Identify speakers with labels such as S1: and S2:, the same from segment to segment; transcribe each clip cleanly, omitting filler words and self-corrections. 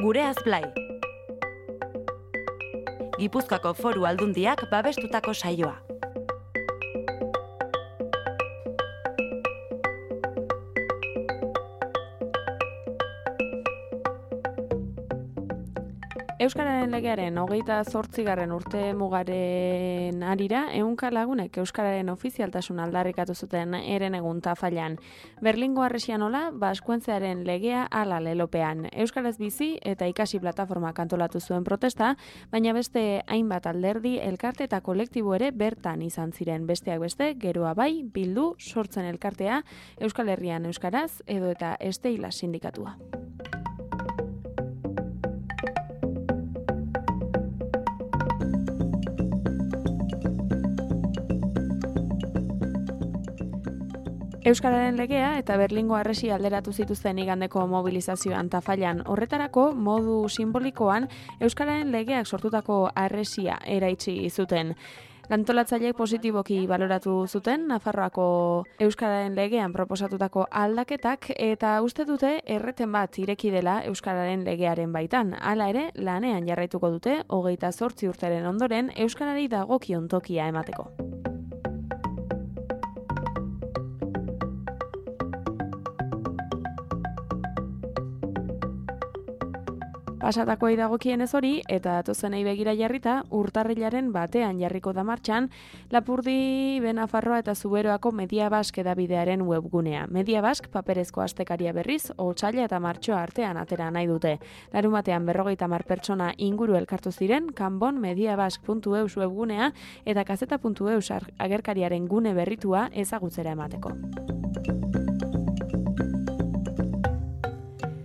S1: Gureaz Blai. Gipuzkoako Foru Aldundiak babestutako saioa. Euskararen legearen 28. urte mugaren arira, ehunka lagunek Euskararen ofizialtasun aldarrikatu zuten herenegun Tafallan. Berlingo Harresianola, Baskuentzearen legea hala lelopean. Euskaraz bizi eta ikasi plataformak antolatu zuen protesta, baina beste hainbat alderdi, elkarte eta kolektibo ere bertan izan ziren. Besteak beste, geroa bai, bildu, sortzen elkartea, Euskal Herrian Euskaraz edo eta Esteila sindikatua. Euskararen legea eta Berlingo Harresia alderatu zituzten igandeko mobilizazioan Tafallan. Horretarako, modu simbolikoan, Euskararen legeak sortutako harresia eraitsi zuten. Antolatzaileek positiboki baloratu zuten Nafarroako Euskararen legean proposatutako aldaketak eta uste dute erreten bat ireki dela Euskararen legearen baitan. Hala ere, lanean jarraituko dute 28 urteren ondoren Euskarari dagokion tokia emateko. Pasatakoei dagokienez hori, eta datozenei begira jarrita, urtarrilaren batean jarriko da martxan, Lapurdi, Benafarroa eta Zuberoako Media Bask edabidearen webgunea. Media Bask paperezko astekaria berriz, otsaila eta martxoa artean atera nahi dute. Larunbatean 50 pertsona inguru elkartu ziren, kanbon mediabask.eus webgunea eta kazeta.eus agerkariaren gune berritua ezagutzera emateko.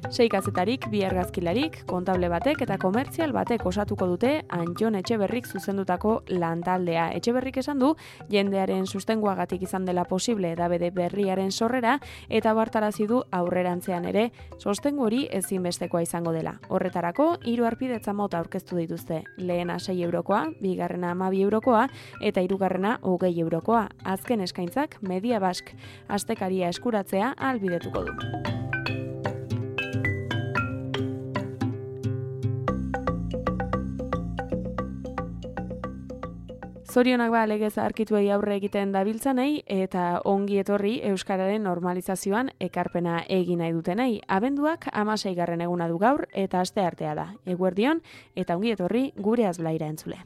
S1: 6 kazetarik, 2 argazkilarik, kontable batek eta komertzial batek osatuko dute Antjon Etxeberrik zuzendutako lantaldea. Etxeberrik esan du, jendearen sustenguagatik izan dela posible edabede berriaren sorrera eta bartarazi du aurrerantzean ere sostengu hori ezinbestekoa izango dela. Horretarako, 3 harpidetza mota aurkeztu dituzte. Lehena 6 eurokoa, bigarrena 12 eurokoa eta hirugarrena 20 eurokoa. Azken eskaintzak Media Bask astekaria eskuratzea ahalbidetuko du. Zorionak legez zaharkituei aurre egiten dabiltzanei eta ongi etorri Euskararen normalizazioan ekarpena egin nahi dutenei. Abenduak 16. eguna du gaur eta asteartea da. Eguerdion eta ongi etorri Gureaz Blaira entzule.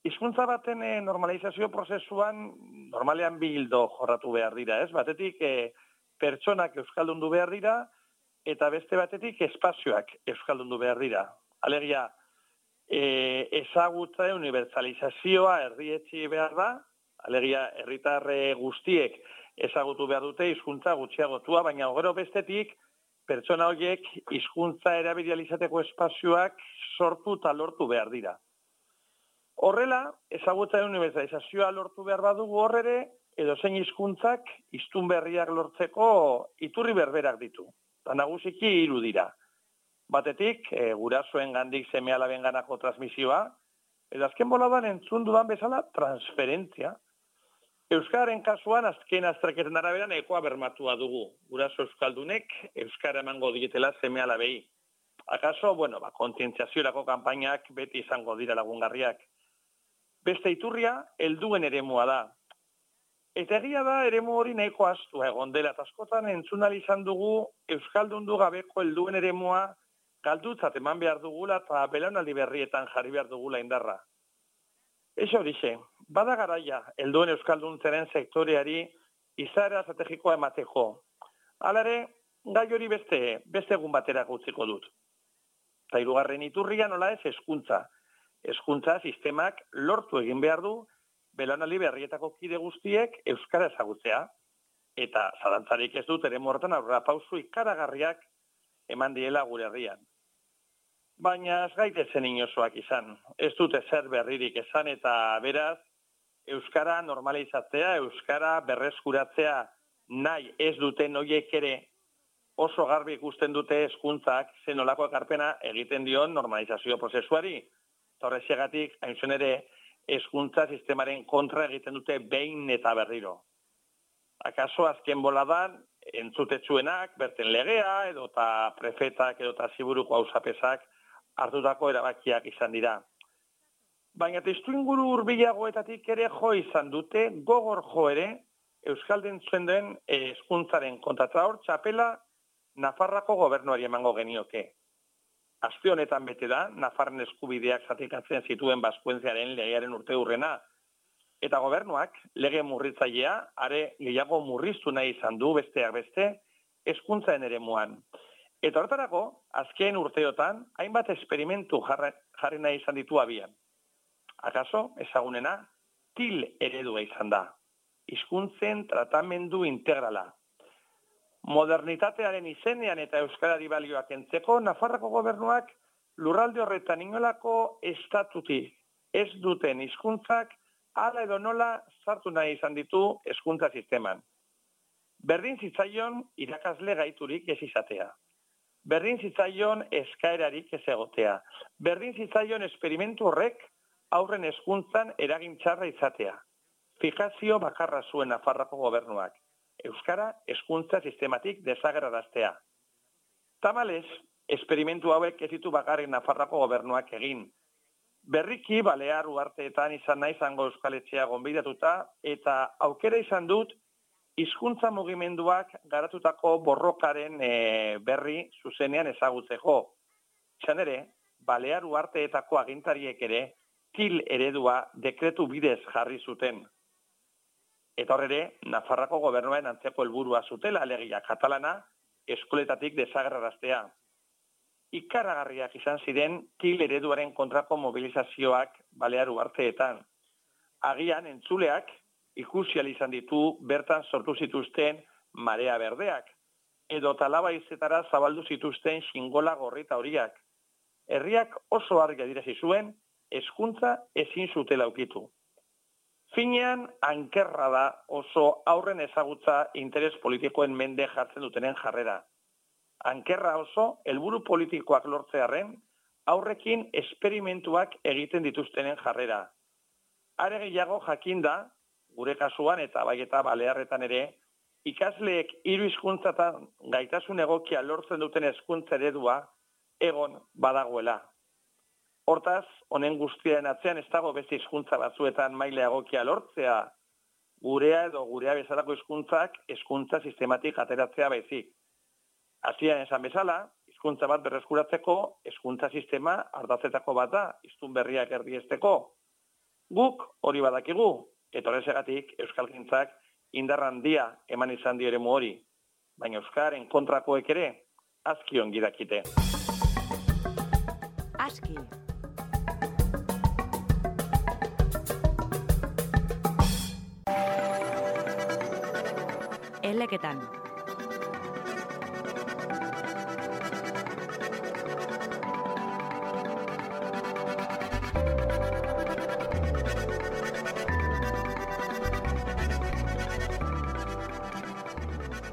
S2: Hizkuntza baten normalizazio prozesuan normalean bi ildo jorratu behar dira, ez? Batetik pertsonak euskaldundu behar dira eta beste batetik espazioak euskaldundu behar dira. Alegia, ezagutza unibertsalizazioa erdietsi behar da, alegia herritar guztiek ezagutu behar dute hizkuntza gutxiagotua, baina gero bestetik pertsona horiek hizkuntza erabilizateko espazioak sortu eta lortu behar dira. Horrela, ezagutza unibertsalizazioa lortu behar badugu horrere, edozein hizkuntzak hiztun berriak lortzeko iturri berberak ditu. Eta nagusiki 3 dira. Batetik, gurasoen gandik seme-alaben ganako transmisioa, eta azken boladan entzun dudan bezala transferentzia. Euskararen kasuan azken azterketen arabera nahikoa bermatua dugu. Guraso euskaldunek euskara emango dietela seme-alabei. Akaso, kontzientziaziorako kanpainak beti izango dira lagungarriak. Beste iturria, helduen eremua da. Eta egia da, eremu hori nahiko astua egon dela. Askotan entzun ahal izan dugu euskaldundu gabeko helduen eremua galdutzat eman behar dugula eta belaunaldi berrietan jarri behar dugula indarra. Ez horixe, bada garaia, helduen euskalduntzaren sektoreari izaera estrategikoa emateko. Hala ere, gai hori beste egun batera utziko dut. Eta hirugarren iturria nola ez hezkuntza. Hezkuntza sistemak lortu egin behar du belaunaldi berrietako kide guztiek euskara ezagutzea. Eta zalantzarik ez dut eremu horretan aurrera pausu ikaragarriak eman diela gure herrian. Baina ez gaitezen inozoak izan. Ez dut ezer berririk esan eta beraz, euskara normalizatzea, euskara berreskuratzea nahi ez duten horiek ere oso garbi ikusten dute hezkuntzak zenolako ekarpena egiten dion normalizazio prozesuari. Horrexegatik, hain zen ere, hezkuntza sistemaren kontra egiten dute behin eta berriro. Akaso azken boladan, entzutetsuenak, berten legea, edota prefetak, edota ziburuko hausapesak hartutako erabakiak izan dira. Baina testuinguru hurbilagoetatik ere jo izan dute, gogor jo ere, euskaldentzen den hezkuntzaren kontrata hor txapela Nafarrako gobernuari emango genioke. Aste honetan bete da, Nafarren eskubideak zatikatzen zituen Baskuentziaren legearen urte hurrena. Eta gobernuak, lege murritzailea, are gehiago murriztu nahi izan du besteak beste, hezkuntzaren eremuan. Eta horretarako, azken urteotan, hainbat esperimentu jarri nahi izan ditu abian. Akaso, ezagunena, TIL eredua izan da. Hizkuntzen tratamendu integrala. Modernitatearen izenean eta euskarari balioak entzeko, Nafarroko gobernuak lurralde horretan inolako estatutik ez duten hizkuntzak hala edo nola sartu nahi izan ditu hezkuntza sisteman. Berdin zitzaion irakasle gaiturik ez izatea. Berdin zitzaion eskaerarik ez egotea. Berdin zitzaion esperimentu horrek aurren hezkuntzan eragin txarra izatea. Fijazio bakarra zuen Nafarroko gobernuak. Euskara hezkuntza sistematik desagerraraztea. Tamalez, esperimentu hauek ez ditu bakarrik Nafarroko gobernuak egin. Berriki Balear uharteetan izan nahi izango euskaletxea gonbidatuta eta aukera izan dut hizkuntza mugimenduak garatutako borrokaren berri zuzenean ezagutzeko. Izan ere, Balear uharteetako agintariek ere TIL eredua dekretu bidez jarri zuten. Eta horre, Nafarrako gobernuen antzeko helburua zutela alegia katalana eskoletatik desagerraraztea. Ikaragarriak izan ziren TIL ereduaren kontrako mobilizazioak Balear uharteetan. Agian entzuleak ikusi ahal izan ditu bertan sortu zituzten marea berdeak, edo talabaizetara zabaldu zituzten xingola gorrita horiak. Herriak oso argi adierazi zuen, hezkuntza ezin zutela ukitu. Finean, ankerra da oso aurren ezagutza interes politikoen mende jartzen dutenen jarrera. Ankerra oso, helburu politikoak lortzearren, aurrekin esperimentuak egiten dituztenen jarrera. Are gehiago jakinda, gure kasuan eta bai eta Balearretan ere, ikasleek 3 hizkuntzatan gaitasun egokia lortzen duten hezkuntza eredua egon badagoela. Hortaz, honen guztiaren atzean ez dago beste hizkuntza batzuetan maila egokia lortzea, gurea edo gurea bezalako hizkuntzak hezkuntza sistematik ateratzea baizik. Hasieran esan bezala, hizkuntza bat berreskuratzeko hezkuntza sistema ardatzetako bat da, hiztun berriak erdiesteko. Guk hori badakigu, eta horrexegatik euskalgintzak indar handia eman izan dio eremu hori, baina euskaren kontrakoek ere aski ongi dakite.
S3: Aski. Eleketan.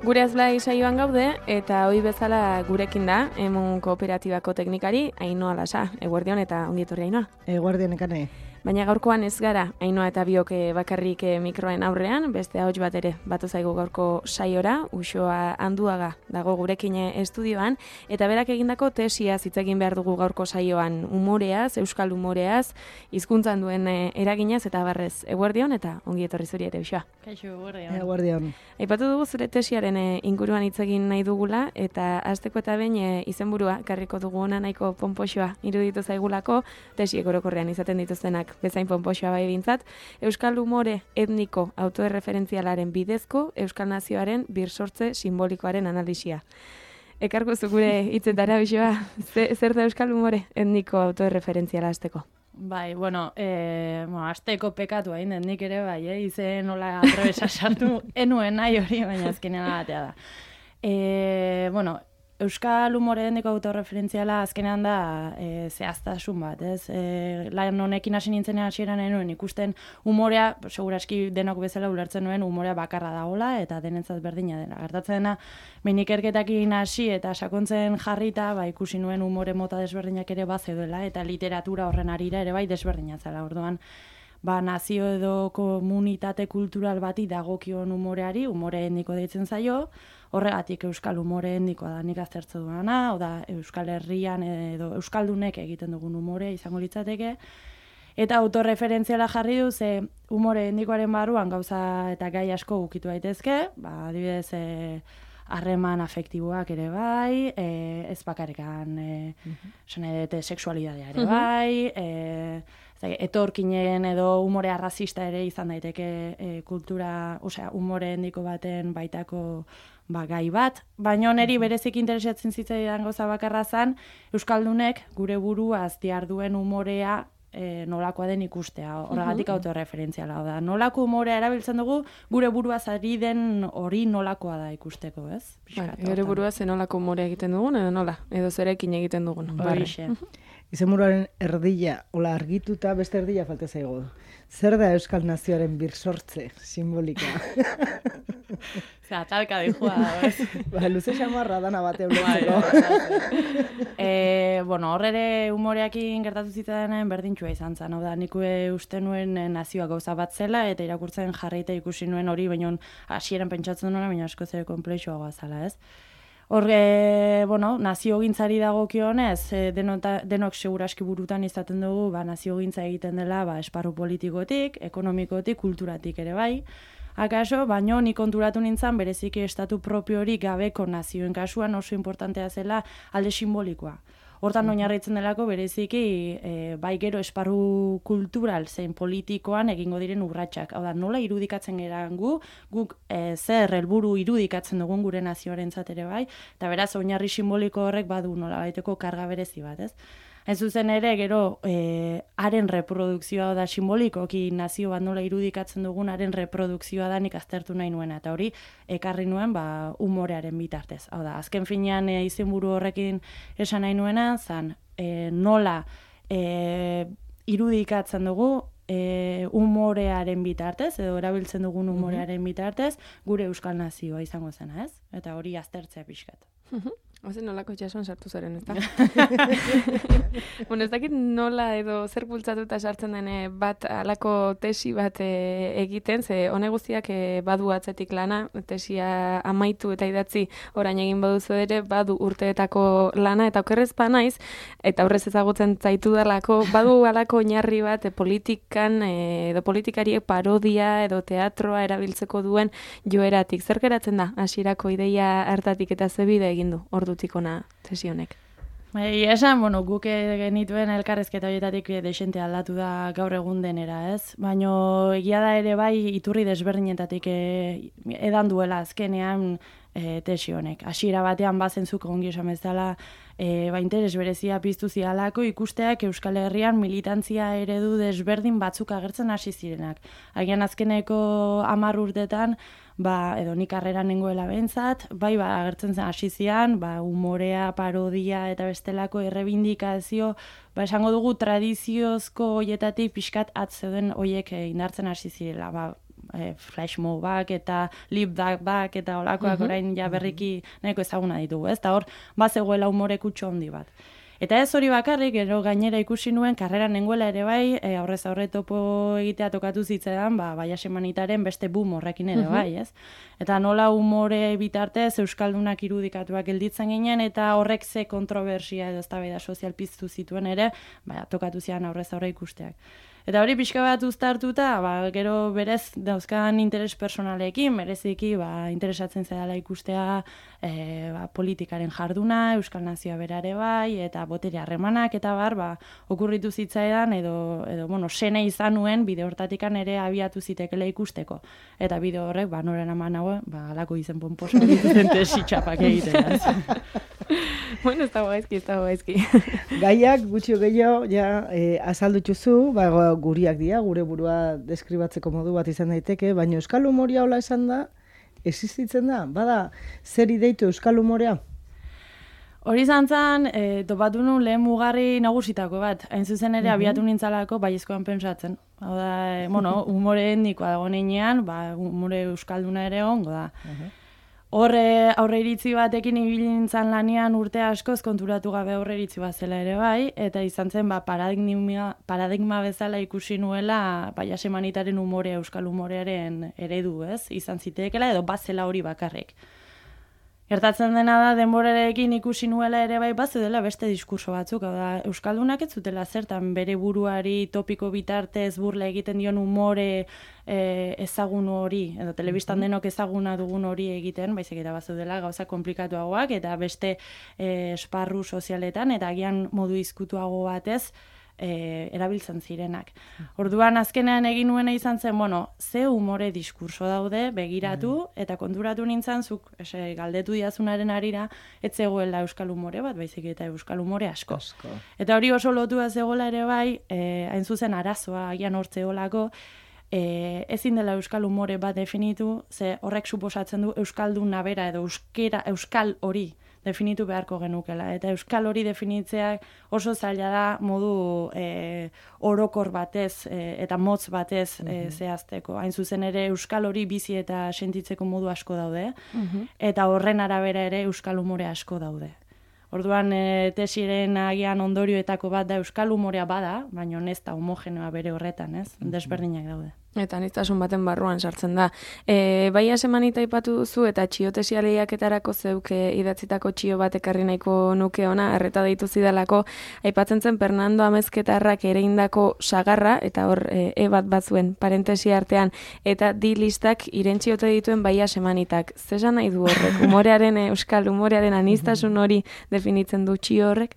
S1: Gure azlai saioan gaude, eta hoi bezala gurekin da, Emun Kooperatibako teknikari, Ainhoa Lasa. Eguerdion eta ongietorri Ainhoa.
S4: Eguerdion ekane.
S1: Baina gaurkoan ez gara, Ainhoa eta biok bakarrik mikroen aurrean, beste ahots bat ere batu zaigu gaurko saiora, Uxoa Anduaga dago gurekin estudioan, eta berak egindako tesia hitz egin behar dugu gaurko saioan umoreaz, euskal umoreaz, hizkuntzan duen eraginaz eta barrez. Eguerdion eta ongietorri zuri ere, Uxoa.
S3: Kaixo, eguerdion.
S4: Eguerdion.
S1: Aipatu dugu zure tesiaren inguruan hitz egin nahi dugula, eta hasteko eta behin izenburua karriko dugu ona nahiko ponpoxoa iruditu zaigulako tesiek orokorrean izaten dituztenak bezain ponpoxoa bai bintzat, euskal umore etniko autoerreferentzialaren bidezko euskal nazioaren birsortze simbolikoaren analisia. Ekarko zukure hitzetara bisoa, zer da euskal umore etniko autoerreferentziala azteko?
S3: Bai, azteko pekatu hain den nik ere, bai, izen nola atrebesa sartu, enuen nahi hori, baina azkenean batea da. Euskal humore etniko autorreferentziala azkenean da zehaztasun bat, ez? Lan honekin hasi nintzen hasieran enuen ikusten umorea, seguraski denok bezala ulertzen nuen umorea bakarra dagoela eta denentzat berdina dena. Gertatzen dena, behin ikerketekin hasi eta sakontzen jarrita, ikusi nuen umore mota desberdinak ere bazeudela eta literatura horren arira ere bai desberdina zela. Orduan, nazio edo komunitate kultural bati dagokion umoreari, umore etniko deitzen zaio, horregatik euskal umore etnikoa da nik aztertzen duena, oda Euskal Herrian edo euskaldunek egiten dugun umore izango litzateke, eta autorreferentziala jarri du, ze umore etnikoaren barruan gauza eta gai asko ukitu daitezke, adibidez, harreman afektiboak ere bai, ez bakarrikan sexualidadea ere bai, etorkinen edo umore arrazista ere izan daiteke kultura, umore etniko baten baitako gai bat, baina niri berezik interesatzen zitzaidan gauza bakarra zen, euskaldunek gure buruaz diharduen umorea nolakoa den ikustea, horregatik autorreferentziala da. Nolako umorea erabiltzen dugu, gure buruaz ari den hori nolakoa da ikusteko, ez?
S1: Gure buruaz nolako umorea egiten dugun, edo nola? Edo zerekin egiten dugun.
S3: Horixe.
S4: Izenburuaren erdila, hola argituta, beste erdila falta zaigu. Zer da euskal nazioaren birsortze simbolika?
S3: Talka dihua da, ez?
S4: Luze xamarra dana bate ulertzeko.
S3: Horre umoreakin gertatu zitzaenen berdintxua izan zen. Hau da, nik uste nuen nazioa gauza bat zela, eta irakurtzen jarraita ikusi nuen hori, baina hasieran pentsatzen nuen, baina asko zer komplexuagoa zela, ez? Naziogintzari dagokionez, denok seguraski burutan izaten dugu, naziogintza egiten dela esparru politikotik, ekonomikotik, kulturatik ere bai. Akaso, baino nik konturatu nintzen bereziki estatu propio hori gabeko nazioen kasuan oso importantea zela alde simbolikoa. Hortan oinarritzen delako bereziki bai gero esparru kultural zein politikoan egingo diren urratsak. Hau da, nola irudikatzen geran guk zer helburu irudikatzen dugun gure nazioarentzat ere bai, eta beraz oinarri simboliko horrek badu nola baiteko karga berezi bat, ez? Ez zuzen ere, gero, haren reprodukzioa da simbolikoki nazio bat nola irudikatzen dugun haren reprodukzioa da nik aztertu nahi nuena. Eta hori, ekarri nuen, umorearen bitartez. Hau da, azken finean izenburu horrekin esan nahi nuena, zan, nola irudikatzen dugu umorearen bitartez, edo erabiltzen dugun umorearen bitartez, gure euskal nazioa izango zena, ez? Eta hori aztertzea pixkat.
S1: Ozen nolako itxasuan sartu zaren, ez da? Ez dakit nola edo zer bultzatuta sartzen den bat alako tesi bat egiten, ze hone guztiak badu atzetik lana, tesia amaitu eta idatzi orain egin baduzu ere, badu urteetako lana, eta okerrez naiz, eta horrez ezagutzen zaitu dalako, badu alako oinarri bat politikan edo politikariek parodia edo teatroa erabiltzeko duen joeratik. Zer geratzen da, hasierako ideia hartatik eta zebide egin du, ordutikona tesi honek?
S3: Esan, guk genituen elkarrezketa horietatik desente aldatu da gaur egun denera, ez? Baina egia da ere bai iturri desberdinetatik edan duela azkenean tesi honek. Hasiera batean bazentzuk ongi esan bezala interes berezia piztu zialako ikusteak Euskal Herrian militantzia eredu desberdin batzuk agertzen hasi zirenak. Agian azkeneko 10 urtetan edo nik karreran nengoela behintzat, agertzen zen hasi zian, umorea, parodia eta bestelako errebindikazio, esango dugu tradiziozko hoietatik pixkat atzeuden hoiek indartzen hasi zirela, flashmobak eta lipdubak eta olakoak orain ja berriki nahiko ezaguna ditugu, ez? Eta hor, bazegoela umore kutxo handi bat. Eta ez hori bakarrik, gero gainera ikusi nuen, karreran nengoela ere bai, aurrez aurre topo egitea tokatu zitzaidan, Baias Emanitaren beste boom horrekin ere bai, ez? Eta nola umore bitartez euskaldunak irudikatuak gelditzen ginen, eta horrek ze kontrobersia edo eztabaida sozial piztu zituen ere, tokatu zian aurrez aurre ikusteak. Eta hori pixka bat uztartuta, gero berez dauzkan interes personalekin, bereziki interesatzen zaidala ikustea politikaren jarduna, Euskal Nazioa berare bai, eta botere harremanak, eta okurritu zitzaidan, edo sene izan nuen, bide hortatikan ere abiatu zitekela ikusteko. Eta bide horrek, noren aman hau, alako izen pomposo dituzten tesitxapak egiten.
S1: Bueno, ez dago gaizki.
S4: Gaiak, gutxio gehiago, azaldutxuzu, guriak dira, gure burua deskribatzeko modu bat izan daiteke, baina Euskal Humorea hola esan da, existitzen da? Bada, zer ideitu Euskal Humorea?
S3: Hori zantzan, topatu nuen lehen mugarri nagusitako bat. Hain zuzen ere abiatu nintzalako baiezkoan pensatzen. Hau da, humore etnikoa dago neinean, humore euskalduna ere ongo da. Horre aurre iritzi batekin ibilintzan lanian urte askoz konturatu gabe aurre iritzi bat zela ere bai, eta izan zen paradigma bezala ikusi nuela Jasemanitaren humorea, euskal humorearen eredu, ez? Izan ziteekela edo bazela hori bakarrik. Gertatzen dena da, denborarekin ikusi nuela ere bai bazeudela beste diskurso batzuk, hau da, euskaldunak ez zutela zertan bere buruari topiko bitartez burla egiten dion humore ezagun hori, edo telebistan denok ezaguna dugun hori egiten, baizik eta bazeudela gauza komplikatuagoak, eta beste esparru sozialetan, eta agian modu izkutuago batez, erabiltzen zirenak. Orduan azkenean egin nuena izan zen, ze humore diskurso daude, begiratu, eta konturatu nintzen, zuk galdetu diazunaren arira, ez zegoela euskal humore bat, baizik eta euskal humore asko. Eta hori oso lotua zegoela ere bai, hain zuzen arazoa, agian hortzeolako, ezin dela euskal humore bat definitu, ze horrek suposatzen du euskalduna bera edo euskal hori definitu beharko genukela. Eta euskal hori definitzeak oso zaila da modu orokor batez eta motz batez zehazteko. Hain zuzen ere euskal hori bizi eta sentitzeko modu asko daude, eta horren arabera ere euskal humore asko daude. Orduan tesiren agian ondorioetako bat da euskal humorea bada, baina ez da homogenoa bere horretan, ez? Desberdinak daude.
S1: Eta aniztasun baten barruan sartzen da. Bai Jasemanita aipatu duzu eta txiotesia lehiaketarako zeuk idatzitako txio bat ekarri nahiko nuke ona, erreta deitu zidalako, aipatzen zen Fernando Amezketarrak ereindako sagarra, eta hor bat batzuen parentesi artean, eta di listak irentxiote dituen Bai Jasemanitak. Zesan nahi du horrek? Humorearen, euskal humorearen aniztasun hori definitzen du txio horrek?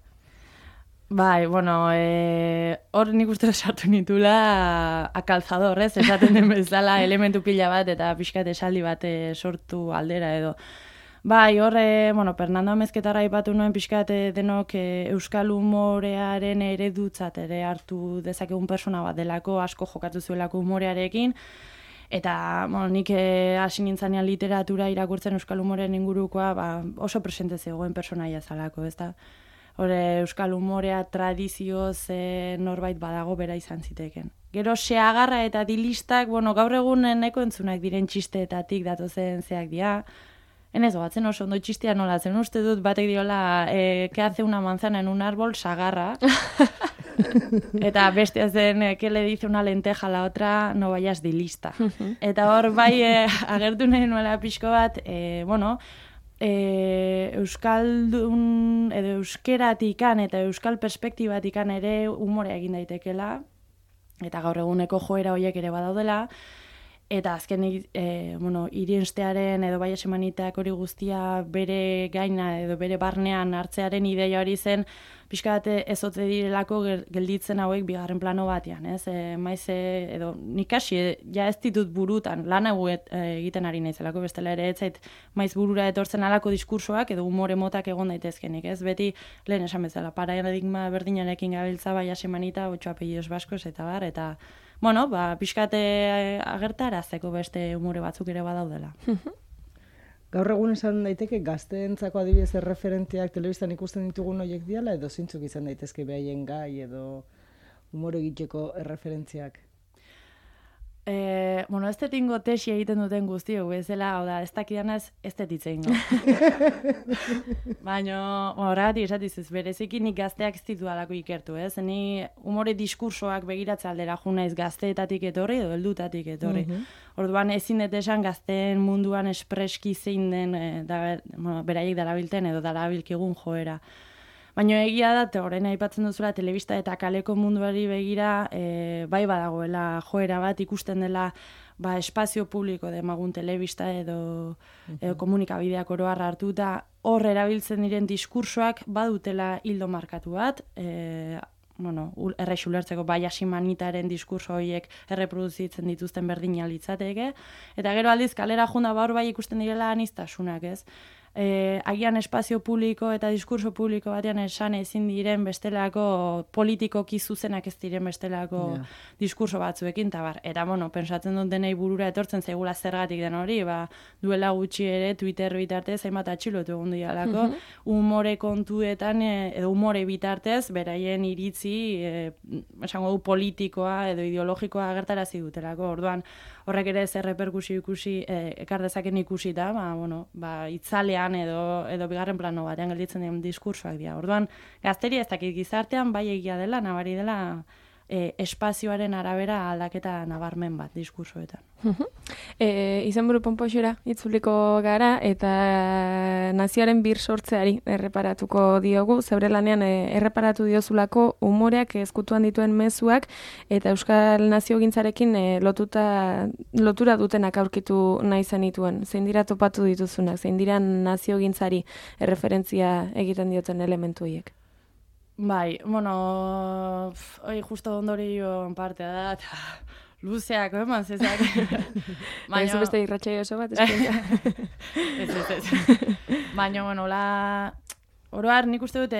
S3: Bai, hor nik uste sartu nitula akalzador, ez? Esaten den bezala elementu pila bat eta pixkat esaldi bat sortu aldera edo. Bai, hor, Fernando Amezketarra aipatu nuen pixkat denok euskal humorearen eredutzat ere hartu dezakegun persona bat delako, asko jokatu zuelako humorearekin, eta nik hasi nintzanean literatura irakurtzen euskal humorearen ingurukoa oso presente zegoen personaia zalako, ez da? Euskal humorea tradizioz norbait badago bera izan ziteken. Gero seagarra eta dilistak, gaur egun nahiko entzunak diren txisteetatik datozen zeak dira. Enez batzen oso ondo txistea nola zen. Uste dut batek diola, que hace una manzana en un árbol, sagarra. Eta bestea zen, que le dice una lenteja a la otra, no vayas dilista. Eta hor bai agertu nahi nuela pixko bat, euskaldun edo euskeratikan eta euskal perspektibatikan ere humorea egin daitekela, eta gaur eguneko joera horiek ere badaudela, eta azkenik irienstearen edo Bai Jasemanitak hori guztia bere gaina edo bere barnean hartzearen ideia hori zen, pixka bat ezotze direlako gelditzen hauek bigarren plano batean, ez? Maiz edo nik hasi, ja ez ditut burutan, lan hau egiten ari naizelako, bestela ere ez zait maiz burura etortzen alako diskursoak edo humore motak egon daitezkenik, ez? Beti lehen esan bezala, paradigma berdinarekin gabiltza Bai Jasemanita, 8 apellidos baskos eta bar, eta pixkate agertarazteko beste humore batzuk ere badaudela.
S4: Gaur egun esan daiteke gazteentzako adibidez erreferenteak telebistan ikusten ditugun horiek diala, edo zeintzuk izan daitezke behaien gai edo humore egiteko erreferentziak?
S3: Ez detingo tesi egiten duten guztiok, bezala, hau da, ez dakidanaz, ez detitzein. Baina, horregatik esatizuz, bereziki nik gazteak ez ditu alako ikertu, ez? Ni humore diskursoak begiratze aldera junaiz gazteetatik etorri edo heldutatik etorri. Orduan ezin dut esan gazteen munduan espreski zein den beraiek darabilten edo darabilkigun joera. Baina egia da, orain aipatzen duzula, telebista eta kaleko munduari begira, bai badagoela joera bat ikusten dela espazio publiko demagun telebista edo komunikabideak oro har hartuta, hor erabiltzen diren diskursoak badutela hildo markatu bat, errexu ulertzeko Hasimanitaren diskurso horiek erreproduzitzen dituzten berdina litzateke, eta gero aldiz kalera junda hor bai ikusten direla aniztasunak, ez? Agian espazio publiko eta diskurso publiko batean esan ezin diren bestelako politikoki zuzenak ez diren bestelako diskurso batzuekin, eta pentsatzen dut denei burura etortzen zaigula zergatik den hori, duela gutxi ere Twitter bitartez hainbat atxilotu egun dialako, umore kontuetan edo umore bitartez beraien iritzi esango du politikoa edo ideologikoa agertarazi dutelako, orduan horrek ere zer reperkusio ikusi ekar dezaken ikusi da, itzalean edo bigarren plano batean gelditzen den diskursoak dira. Orduan, gazteria ez dakit gizartean bai egia dela, nabari dela espazioaren arabera aldaketa nabarmen bat diskursoetan.
S1: Izenburu ponpoxera itzuliko gara eta nazioaren bir sortzeari erreparatuko diogu, zeure lanean erreparatu diozulako umoreak ezkutuan dituen mezuak eta euskal naziogintzarekin lotura dutenak aurkitu nahi zenituen. Zein dira topatu dituzunak, zein dira naziogintzari erreferentzia egiten dioten elementu horiek?
S3: Bai, hori justo ondorio partea da, eta luzeak, eman zezak.
S1: Baina beste irratxai oso bat, eskienta.
S3: Ez. Baina, oroar nik uste dut,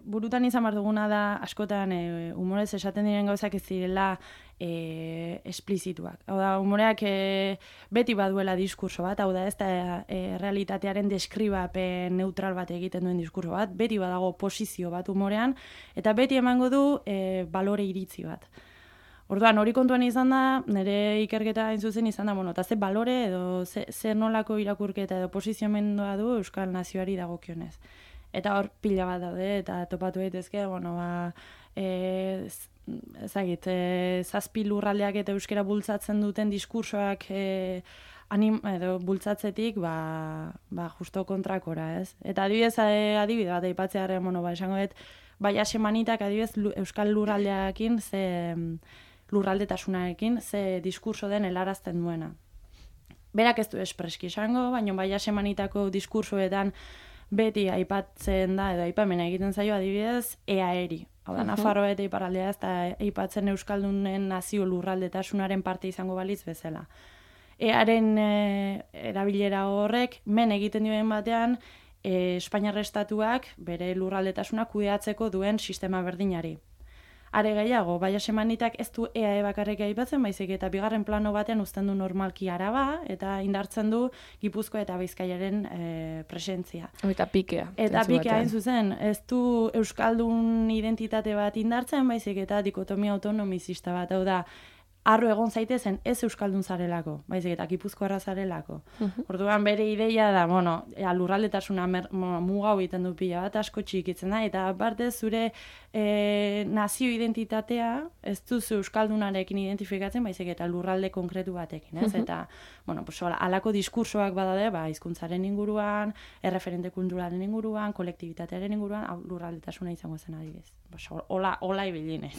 S3: burutan izan behar duguna da, askotan, humorez esaten diren gauzak ez direla esplizituak. Hau da, humoreak beti baduela diskurso bat, hau da, ez da realitatearen deskribapen neutral bat egiten duen diskurso bat, beti badago posizio bat humorean, eta beti emango du balore iritzi bat. Orduan, hori kontuan izan da, nire ikerketa hain zuzen izan da, eta ze balore edo ze nolako irakurketa edo posizionamendua du Euskal Nazioari dagokionez. Eta hor pila bat daude, eta topatu daitezke, zazpi lurraldeak eta euskera bultzatzen duten diskursoak edo bultzatzetik, justo kontrakora, ez? Eta adibide bat aipatzearen, esango dut, Hasiamanitak adibidez euskal lurraldearekin, lurraldetasunarekin, ze diskurso den helarazten duena. Berak ez du espreski esango, baina Hasiamanitako diskursoetan beti aipatzen da, edo aipamena egiten zaio adibidez, EAERI. Hau da, Nafarroa eta iparraldea ez da aipatzen euskaldunen nazio lurraldetasunaren parte izango balitz bezala. EAren erabilera horrek, men egiten dioen batean, Espainiar Estatuak bere lurraldetasuna kudeatzeko duen sistema berdinari. Are gehiago, Hasiamanitak ez du EAE bakarrik aipatzen, baizik eta bigarren plano batean uzten du normalki Araba, eta indartzen du Gipuzkoa eta Bizkaiaren presentzia.
S1: Eta pikea.
S3: Eta pikea hain zuzen, ez du euskaldun identitate bat indartzen, baizik eta dikotomia autonomizista bat, hau da, arro egon zaitezen ez euskaldun zarelako, baizik eta Gipuzkoarra zarelako. Orduan bere ideia da, lurraldetasuna muga egiten du pila bat, asko txikitzen da, eta aparte zure nazio identitatea ez duzu euskaldunarekin identifikatzen, baizik eta lurralde konkretu batekin, ez? Eta, alako diskursoak badade, hizkuntzaren inguruan, erreferente kulturalen inguruan, kolektibitatearen inguruan, lurraldetasuna izango zen adibidez. Hola ibiline.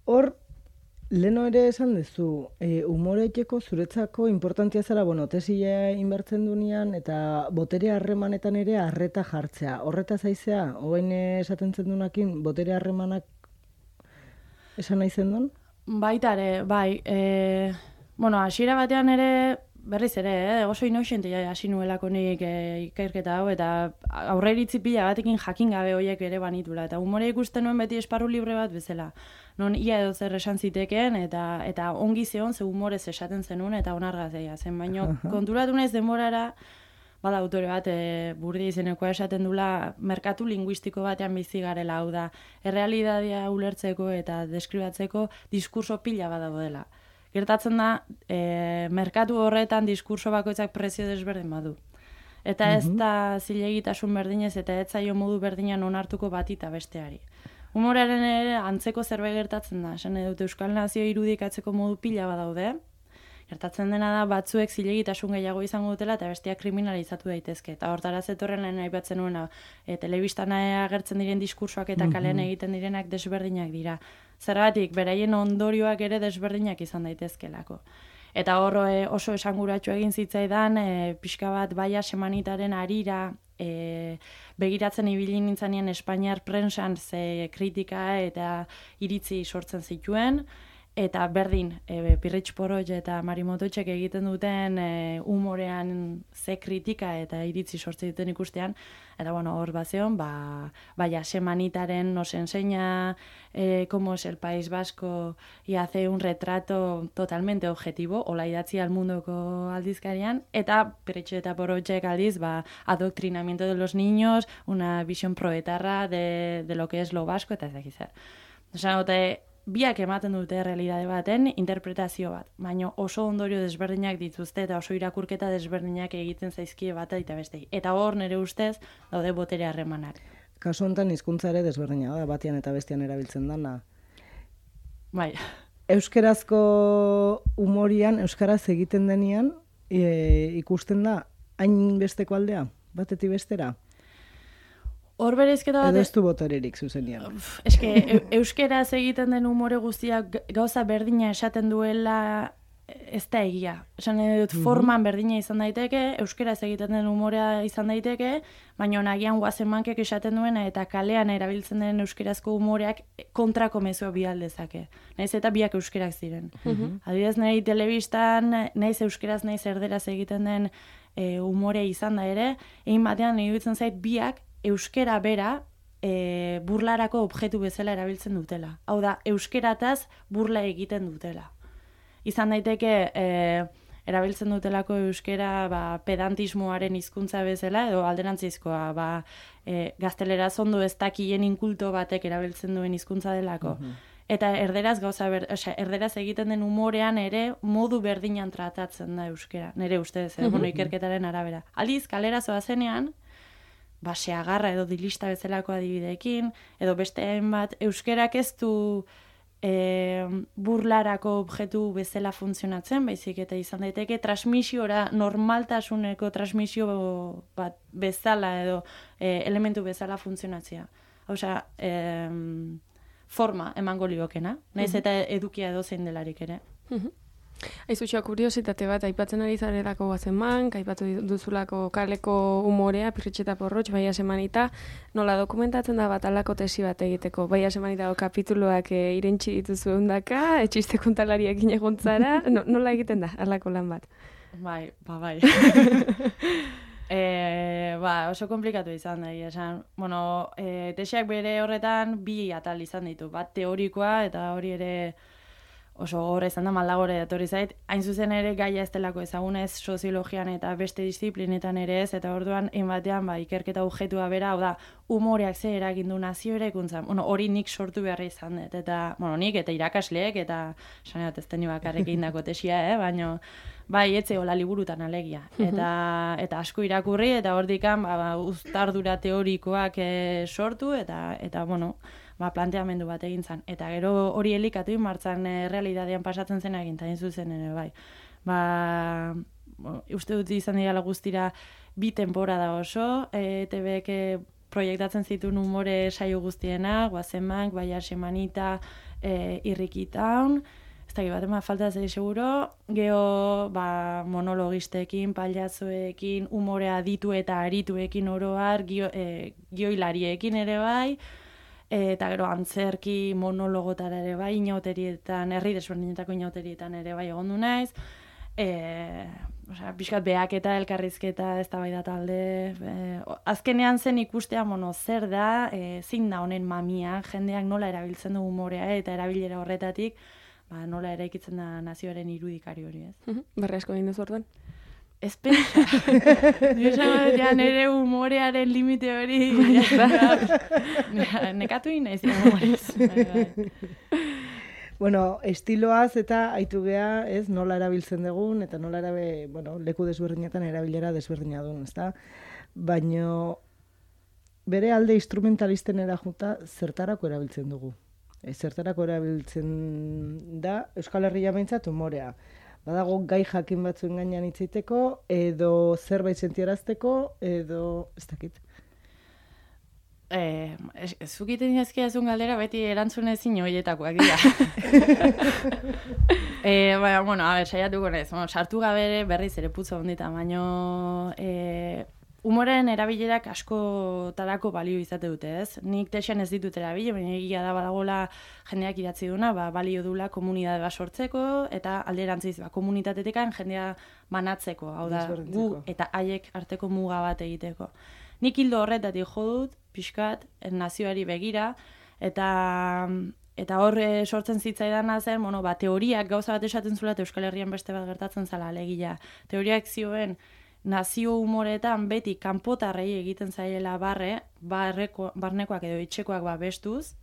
S4: Hor, leno ere esan duzu, umoreteko zuretzako importantia zara, tesia inbertzen dunean, eta botere harremanetan ere arreta jartzea. Horreta zaizea, hogein esaten zendunakin, botere harremanak esan nahi zendun?
S3: Baitare, bai. Hasiera batean ere, berriz ere, oso inoxente hasi nuelako nik ikerketa hau, eta aurreiritzi pila batekin jakin gabe horiek ere banitula. Eta humore ikusten nuen beti esparru libre bat bezala. Non ia edo zer esan zitekeen, eta ongi zeon ze humorez esaten zenuen, eta onargazia zen. Baina konturatu naiz denborara, bada autore bat, Burdi izenekoa esaten dula, merkatu linguistiko batean bizi garela, hau da, errealitatea ulertzeko eta deskribatzeko diskurso pila badago dela. Gertatzen da, merkatu horretan diskurso bakoitzak prezio desberdin badu. Eta ez da zilegitasun berdinez eta ez zaio modu berdinan onartuko bati eta besteari. Humorearen ere antzeko zerbait gertatzen da. Esan dut Euskal Nazio irudikatzeko modu pila badaude. Gertatzen dena da batzuek zilegitasun gehiago izango dutela eta besteak kriminalizatu daitezke. Eta hortara zetorren lehen aipatzen nuena, telebistan agertzen diren diskursoak eta kalean egiten direnak desberdinak dira. Zergatik, beraien ondorioak ere desberdinak izan daitezkelako. Eta hor oso esanguratsu egin zitzaidan, pixka bat baia semanitaren harira begiratzen ibili nintzanean Espainiar prensan ze kritika eta iritzi sortzen zituen, eta berdin, Pirritx Porrot eta Mari Mototxek egiten duten humorean ze kritika eta iritzi sortzen duten ikustean, eta bueno, hor bazeon, vaya, semanitaren nos enseña cómo es el País Vasco y hace un retrato totalmente objetivo, hola idatzi al mundoko aldizkarian, eta Pirritx eta Porrotxek aldiz, adoctrinamiento de los niños, una visión proetarra de lo que es lo vasco, eta ez dakiz zer. Osa, biak ematen dute realitate baten interpretazio bat, baina oso ondorio desberdinak dituzte eta oso irakurketa desberdinak egiten zaizkie bat eta bestei. Eta hor nire ustez daude botere harremanak.
S4: Kasu honetan hizkuntza ere desberdina da, batian eta bestian erabiltzen dana.
S3: Bai.
S4: Euskerazko humorian, euskaraz egiten denean, ikusten da hain besteko aldea, batetik bestera?
S3: Hor bereizketa bat...
S4: Edo ez du botererik zuzenean.
S3: Eske, euskeraz egiten den umore guztiak gauza berdina esaten duela ez da egia. Esan dut, forman berdina izan daiteke, euskeraz egiten den umorea izan daiteke, baina nagian guazemankek esaten duena eta kalean erabiltzen den euskerazko umoreak kontrako mezua bihaldezake. Naiz eta biak euskerak ziren. Adibidez, nahi telebistan, naiz euskeraz, naiz erderaz egiten den umore izan da ere, egin batean nahi dutzen zait biak euskera bera burlarako objektu bezala erabiltzen dutela. Hau da, euskerataz burla egiten dutela. Izan daiteke erabiltzen dutelako euskera pedantismoaren hizkuntza bezala, edo alderantzizkoa, gazteleraz ondo ez dakien inkulto batek erabiltzen duen hizkuntza delako. Eta erderaz erderaz egiten den umorean ere modu berdinan tratatzen da euskera. Nire ustez, ikerketaren arabera. Aldiz, kalera zoazenean, seagarra edo dilista bezalako adibideekin, edo beste hainbat, euskerak ez du burlarako objektu bezala funtzionatzen, baizik eta izan daiteke transmisiora, normaltasuneko transmisio bat bezala edo elementu bezala funtzionatzea. Hauza, forma emango liokena, nahiz eta edukia edo zein delarik ere.
S1: Aizutxoa, kuriositate bat, aipatzen ari zarelako Guazemank, aipatu duzulako kaleko umorea, Pirritx eta Porrotx, Baia Semanita, nola dokumentatzen da bat alako tesi bat egiteko. Baia Semanitako kapituluak irentxi dituzu eundaka, etxiste kontalariakin egontzara, nola egiten da alako lan bat?
S3: Bai. Oso komplikatu izan da, esan. Tesiak bere horretan bi atal izan ditu, bat teorikoa eta hori ere oso horre izan da maldagore datorri zait, hain zuzen ere gaia ez delako ezaguna ez soziologian eta beste disiplinetan ere ez, eta orduan batean ikerketa objektua bera, hau da, humoreak ze eragindu nazio eraikuntzan. Hori nik sortu beharra izan dut, eta nik eta irakasleek, eta saneat ez teni bakarrik egindako tesia, baina etze hola liburutan alegia. Eta asko irakurri, eta hordikan uztardura teorikoak sortu, eta planteamendu bat egin zen. Eta gero hori elikatu martzan realitatean pasatzen zen egin, eta zuzen ere, bai. Uste dut izan dira guztira bi temporada oso, ETBek proiektatzen zituen umore saio guztiena, Guazemank, Baia Semanita, Irriki Town, ez dakit bat, falta zei seguro, geho monologistekin, paliazoekin, umorea ditu eta arituekin oroar, gioilariekin ere bai, eta gero antzerki monologotara ere bai, inauterietan, herri desberdinetako inauterietan ere bai egondu naiz, pixkat behak eta elkarrizketa ez da bai da talde, azkenean zen ikustea zer da, zein da honen mamia, jendeak nola erabiltzen du humorea eta erabilera horretatik, nola eraikitzen da nazioaren irudikari hori ez.
S1: Barri asko egin duzu orduan?
S3: Ez pensa. Nire humorearen limite hori. Nekatu inaiz humorez.
S4: Estiloaz eta aitu geha, ez, nola erabiltzen dugun, eta nola leku desberdinetan erabilera desberdina duen, ezta? Baina bere alde instrumentalisten erajuta zertarako erabiltzen dugu. Zertarako erabiltzen da Euskal Herria behintzat humorea. badago gai jakin batzuen gainean hitz egiteko, edo zerbait sentiarazteko, edo ez dakit.
S3: Zukiten ezkiazun galdera beti erantzun ezin horietakoak dira. Bueno, a ber, saiatuko naiz. Bueno, sartu gabe berriz ere putzo ondita, baino humoren erabilerak askotarako balio izate dute, ez? Nik texan ez ditut erabile, baina egia da badagola jendeak idatzi duna, balio dula komunitate bat sortzeko, eta alderantziz, komunitatetekan jendea banatzeko, hau da, gu eta haiek arteko muga bat egiteko. Nik hildo horretatik jo dut, pixkat, nazioari begira, eta horre sortzen zitzaidana zen, teoriak gauza bat esaten zula, eta Euskal Herrian beste bat gertatzen zala alegia. Teoriak zioen, nazio humoretan beti kanpotarrei egiten zaiela barnekoak edo etxekoak bestuz,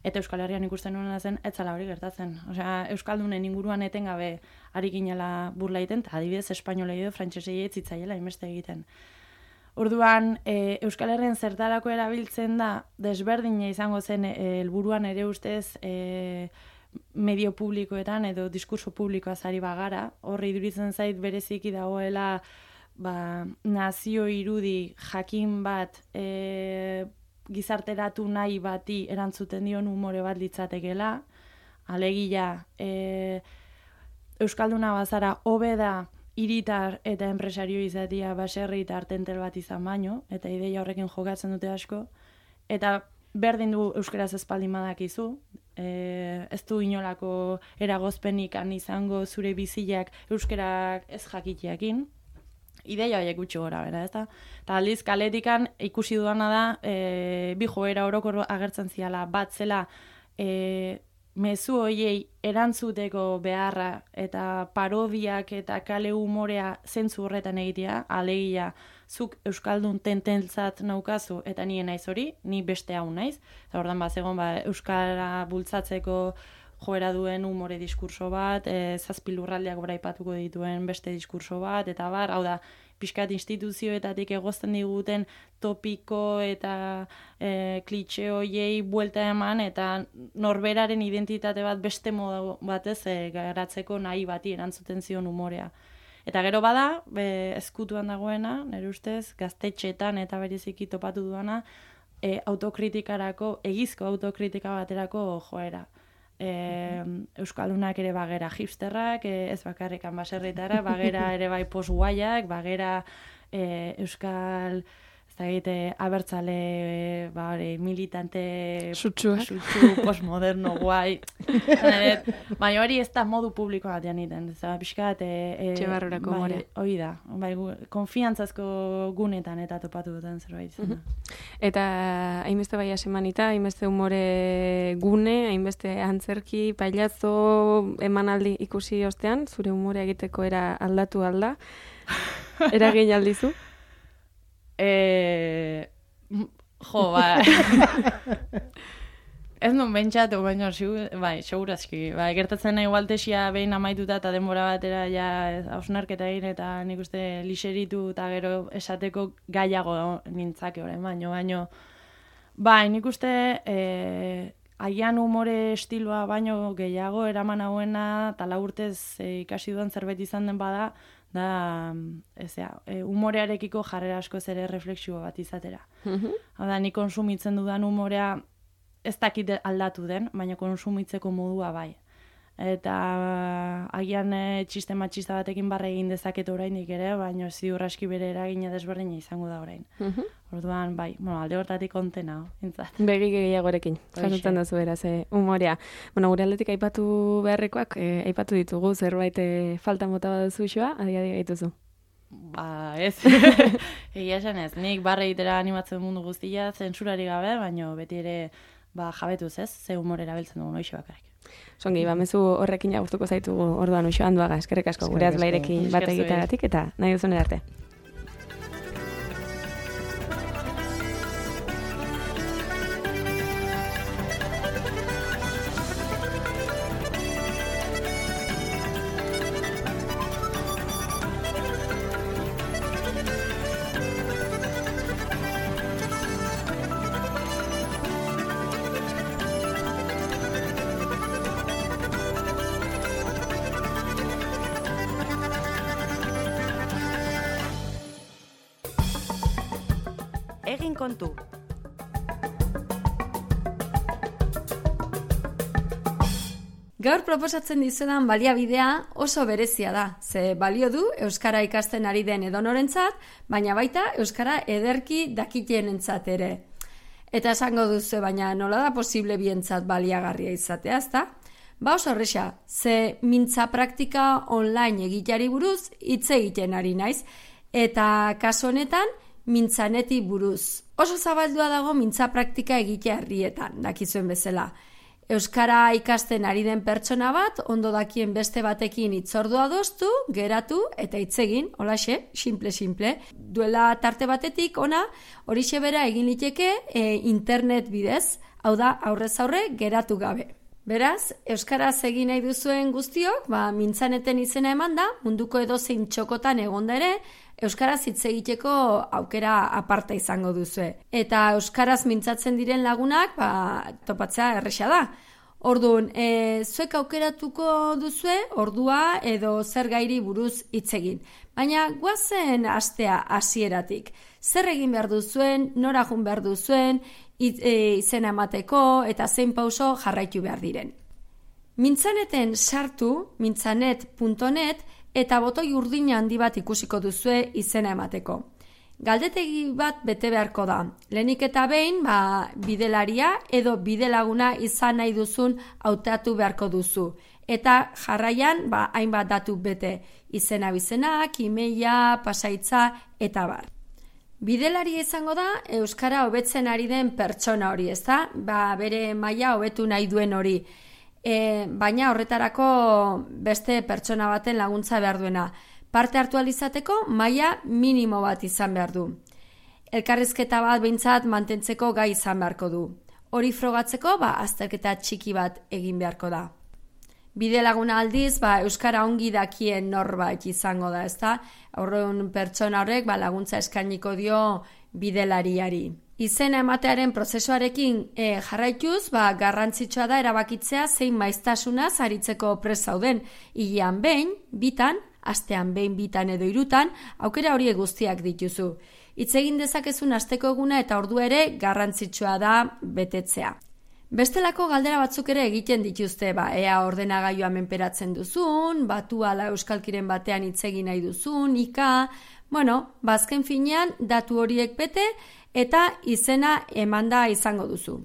S3: eta Euskal Herrian ikusten nuena zen, ez zala hori gertatzen. Osea, Euskaldunen inguruan etengabe ari ginela burla egiten, eta adibidez espainolei edo frantsesei ez zitzaiela inbeste egiten. Orduan, Euskal Herrian zertarako erabiltzen da, desberdina izango zen helburuan ere ustez medio publikoetan edo diskurso publikoaz ari bagara. Horri iduritzen zait bereziki dagoela nazio irudi jakin bat gizarteratu nahi bati erantzuten dion umore bat litzatekela. Alegia, Euskalduna bazara hobe da hiritar eta enpresario izatea baserritar tentel bat izan baino, eta ideia horrekin jokatzen dute asko, eta berdin du euskaraz espaldin badakizu, ez du inolako eragozpenik izango zure biziak euskarak ez jakiteakin, ideia horiek gutxi gora, bera, ez da? Eta aldiz, kaletikan ikusi duana da, bi joera orokor agertzen ziala, bat zela, mezu horiei erantzuteko beharra eta parodiak eta kale humorea zentzu horretan egitea, alegia zuk euskaldun tententzat naukazu eta nien naiz hori, ni beste hau naiz. Eta ordan bazegon euskara bultzatzeko joera duen umore diskurso bat, zazpi lurraldeak braipatuko dituen beste diskurso bat, eta hau da, pixkat instituzioetatik egozten diguten topiko eta klitxe hoiei buelta eman, eta norberaren identitate bat beste modu batez garatzeko nahi bati erantzuten zion umorea. Eta gero bada, ezkutuan dagoena, nire ustez, gaztetxetan eta bereziki topatu duana, autokritikarako, egizko autokritika baterako joera. Euskaldunak ere bagera hipsterrak, ez bakarrikan baserritara, bagera ere bai post-guaiak, bagera euskal abertzale militante sutsu postmoderno guai. Baina hori ez da modu publiko batean iten. Piskat
S1: Txebarrurako more.
S3: Hori da. Konfiantzazko gunetan eta topatu duten zerbait.
S1: Eta hainbeste bai asemanita, hainbeste humore gune, hainbeste antzerki, pailazo emanaldi ikusi ostean, zure humorea egiteko era aldatu alda. Eragin aldizu?
S3: Ez nun bentsatu, baina segurazki. Gertatzen nahi igualtesia behin amaituta eta denbora batera hausnarketa egin eta nik uste lixeritu eta gero esateko gaiago nintzake orain, baino nik uste agian umore estiloa baino gehiago eraman hauena eta urtez ikasi duan zerbait izan den bada, da, umorearekiko jarrera asko ere refleksio bat izatera. Hau da, ni konsumitzen dudan umorea ez dakit aldatu den, baina konsumitzeko modua bai. Eta agian txiste matxista batekin barre egin dezaket oraindik ere, baina ziur aski bere eragina desberdina izango da orain. Orduan, bai, alde hortatik kontena, entzat.
S1: Begi gehiagorekin, jasotzen da zu beraz, umorea. Gure aldetik aipatu beharrekoak, aipatu ditugu, zerbait falta mota baduzu isua, adi gaituzu.
S3: Ez. Egia esan ez, nik barre egitera animatzen mundu guztia, zentsurari gabe, baina beti ere jabetuz ez, ze humor erabiltzen dugu noixe bakarrik.
S1: Songi, mezu horrekin agurtuko zaitugu orduan Uxo Anduaga, eskerrik asko gure azbairekin bat egiteagatik eta nahi duzun arte. kontu.
S5: Gaur proposatzen dizudan baliabidea oso berezia da, ze balio du euskara ikasten ari den edonorentzat, baina baita euskara ederki dakitenentzat ere. Eta esango duzu, baina nola da posible bientzat baliagarria izatea, ezta? Ba oso horreza, ze mintza praktika online egiteari buruz hitz egiten ari naiz, eta kasu honetan mintzaneti buruz. Oso zabaldua dago mintza praktika egitea herrietan, dakizuen bezala. Euskara ikasten ari den pertsona bat, ondo dakien beste batekin hitzordua adostu, geratu eta hitz egin, holaxe, simple. Duela tarte batetik ona, horixe bera egin liteke internet bidez, hau da aurrez aurre geratu gabe. Beraz, euskaraz egin nahi duzuen guztiok, mintzaneten izena eman da, munduko edozein txokotan egonda ere, euskaraz hitz egiteko aukera aparta izango duzue. Eta euskaraz mintzatzen diren lagunak, topatzea erresa da. Orduan, zuek aukeratuko duzue, ordua edo zer gairi buruz hitz egin. Baina goazen astea hasieratik. Zer egin behar duzuen, nora jun behar duzuen, izena emateko eta zein pauso jarraitu behar diren. Mintzaneten sartu, mintzanet.net, eta botoi urdin handi bat ikusiko duzue izena emateko. Galdetegi bat bete beharko da. Lehenik eta behin, bidelaria edo bidelaguna izan nahi duzun hautatu beharko duzu. Eta jarraian, hainbat datu bete. Izena bizenak, emaila, pasaitza, eta bar. Bidelaria izango da, euskara hobetzen ari den pertsona hori, ezta? Bere maila hobetu nahi duen hori. Baina horretarako beste pertsona baten laguntza behar duena. Parte hartu alizateko maila minimo bat izan behar du. Elkarrizketa bat behintzat mantentzeko gai izan beharko du. Hori frogatzeko azterketa txiki bat egin beharko da. Bide laguna aldiz, euskara ongi dakien norbait izango da, ezta? Horren pertsona horrek laguntza eskainiko dio bidelariari. Izena ematearen prozesuarekin jarraituz, garrantzitsua da erabakitzea zein maiztasunaz aritzeko prest zauden. Hilean behin, bitan, astean behin, bitan edo hirutan, aukera horiek guztiak dituzu. Hitz egin dezakezun asteko eguna eta ordu ere garrantzitsua da betetzea. Bestelako galdera batzuk ere egiten dituzte, ea ordenagailua menperatzen duzun, batu ala euskalkiren batean hitz egin nahi duzun, azken finean datu horiek bete eta izena emanda izango duzu.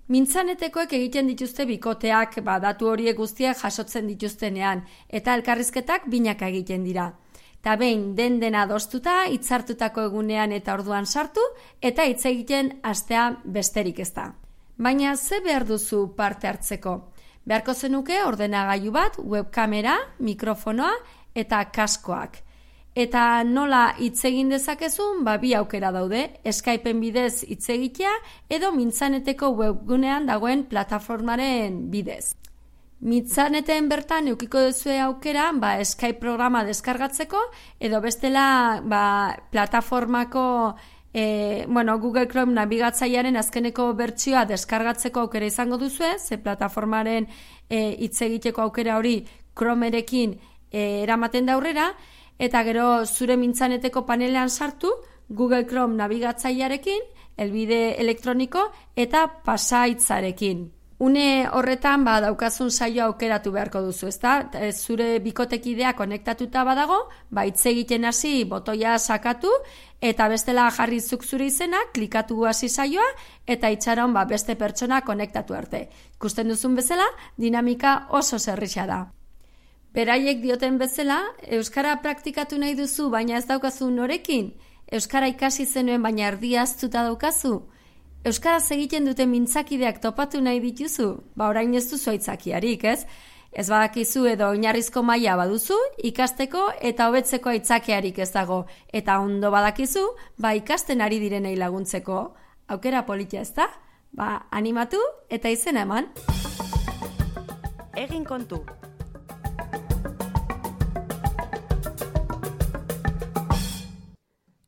S5: Mintzanetekoek egiten dituzte bikoteak, datu horiek guztiak jasotzen dituztenean, eta elkarrizketak binaka egiten dira. Eta behin dena adostuta, hitzartutako egunean eta orduan sartu, eta hitz egiten astea besterik ez da. Baina ze behar duzu parte hartzeko? Beharko zenuke ordenagailu bat, webkamera, mikrofonoa eta kaskoak. Eta nola hitz egin dezakezun, bi aukera daude, Skypeen bidez hitz egitea edo mintzaneteko webgunean dagoen plataformaren bidez. Mintzaneten bertan eukiko duzue aukera, Skype programa deskargatzeko edo bestela plataformako Google Chrome nabigatzailearen azkeneko bertsioa deskargatzeko aukera izango duzue, ze plataformaren hitz egiteko aukera hori Chromerekin eramaten da aurrera, eta gero zure mintzaneteko panelean sartu, Google Chrome nabigatzailearekin, helbide elektroniko eta pasaitzarekin. Une horretan daukazun saio aukeratu beharko duzu, ezta? Zure bikotekidea konektatuta badago, hitz egiten hasi botoia sakatu eta bestela jarri zuk zure izena, klikatu hasi saioa eta itxaron beste pertsona konektatu arte. Ikusten duzun bezala, dinamika oso zerrisa da. Beraiek dioten bezala, euskara praktikatu nahi duzu, baina ez daukazu norekin? Euskara ikasi zenuen, baina erdia ahaztuta daukazu? Euskaraz egiten duten mintzakideak topatu nahi dituzu? Orain ez duzu aitzakiarik, ez? Ez badakizu edo oinarrizko maila baduzu, ikasteko eta hobetzeko aitzakiarik ez dago. Eta ondo badakizu, ikasten ari direnei laguntzeko. Aukera politia ez da? Animatu eta izena eman.
S1: Egin kontu.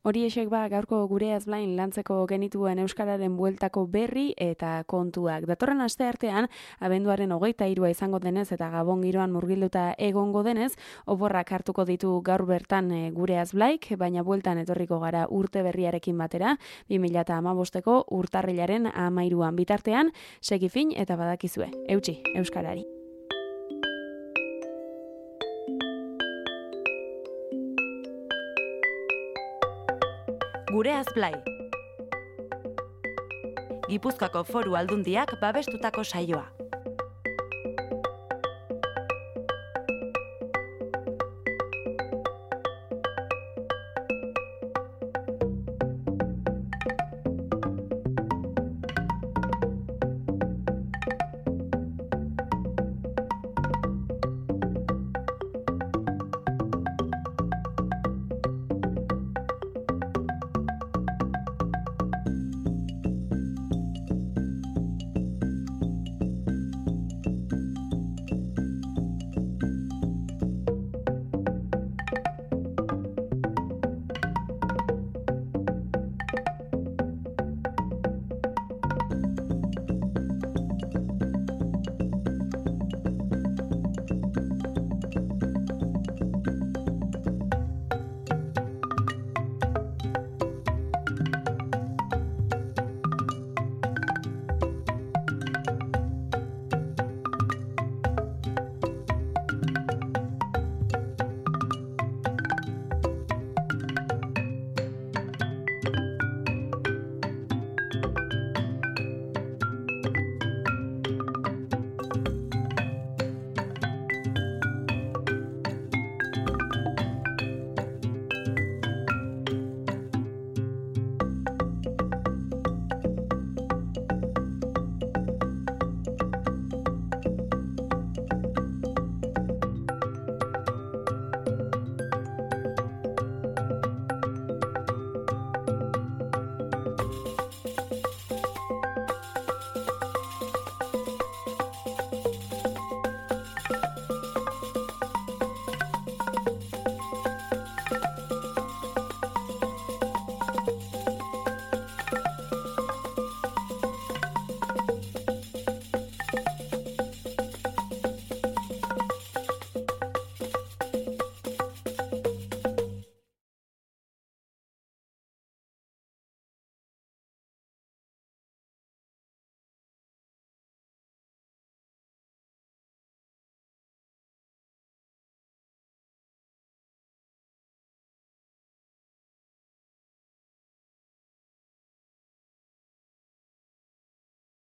S1: Horiexek gaurko gure azblain lantzeko genituen euskararen bueltako berri eta kontuak. Datorren aste artean, abenduaren 23 izango denez eta Gabon giroan murgilduta egongo denez, oporrak hartuko ditu gaur bertan gure azblaik, baina bueltan etorriko gara urte berriarekin batera, 2015ko urtarrilaren 13an bitartean, segifin eta badakizue, eutsi, euskarari.
S6: Gure azblai. Gipuzkoako Foru Aldundiak babestutako saioa.